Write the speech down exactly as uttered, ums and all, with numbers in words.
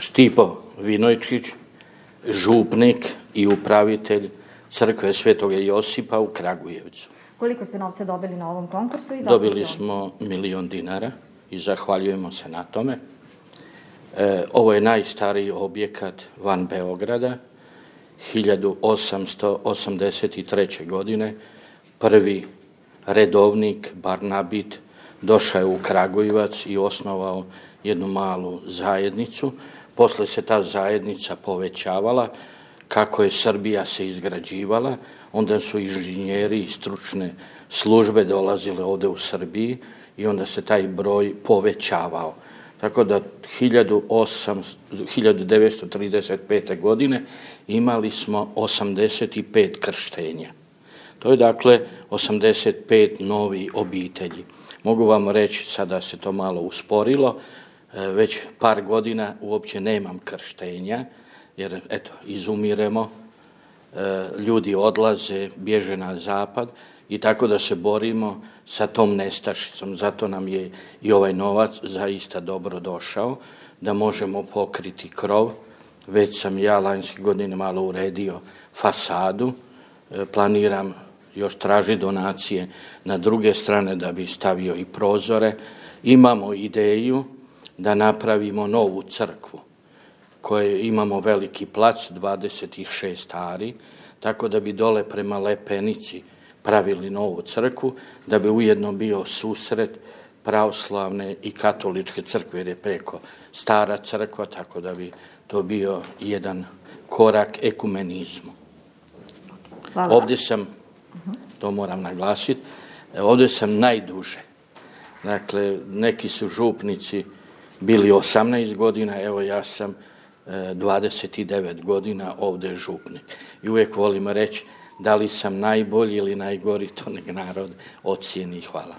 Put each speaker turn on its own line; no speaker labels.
Stipo Vinojčić, župnik i upravitelj crkve Svetoga Josipa u Kragujevcu.
Koliko ste novca dobili na ovom konkursu? I
Dobili smo milion dinara i zahvaljujemo se na tome. E, ovo je najstariji objekat van Beograda. hiljadu osamsto osamdeset treće. godine prvi redovnik Barnabit došao je u Kragujevac i osnovao jednu malu zajednicu. Posle se ta zajednica povećavala. Kako je Srbija se izgrađivala, onda su inženjeri i stručne službe dolazile ovde u Srbiji i onda se taj broj povećavao. Tako da hiljadu devetsto trideset pete. godine imali smo osamdeset pet krštenja. To je dakle osamdeset pet novi obitelji. Mogu vam reći, sada se to malo usporilo, već par godina uopće nemam krštenja, jer eto, izumiremo, ljudi odlaze, bježe na zapad i tako da se borimo sa tom nestašicom. Zato nam je i ovaj novac zaista dobro došao, da možemo pokriti krov. Već sam ja lanjske godine malo uredio fasadu, planiram još traži donacije na druge strane da bi stavio i prozore. Imamo ideju da napravimo novu crkvu, koje imamo veliki plac, dvadeset šest ari, tako da bi dole prema Lepenici pravili novu crkvu, da bi ujedno bio susret pravoslavne i katoličke crkve, jer je preko stara crkva, tako da bi to bio jedan korak ekumenizmu.
Hvala.
Ovde sam, to moram naglasiti, ovde sam najduže. Dakle, neki su župnici bili osamnaest godina, evo ja sam dvadeset devet godina ovde župnik. I uvijek volim reći da li sam najbolji ili najgori, to nek narod ocijeni. Hvala.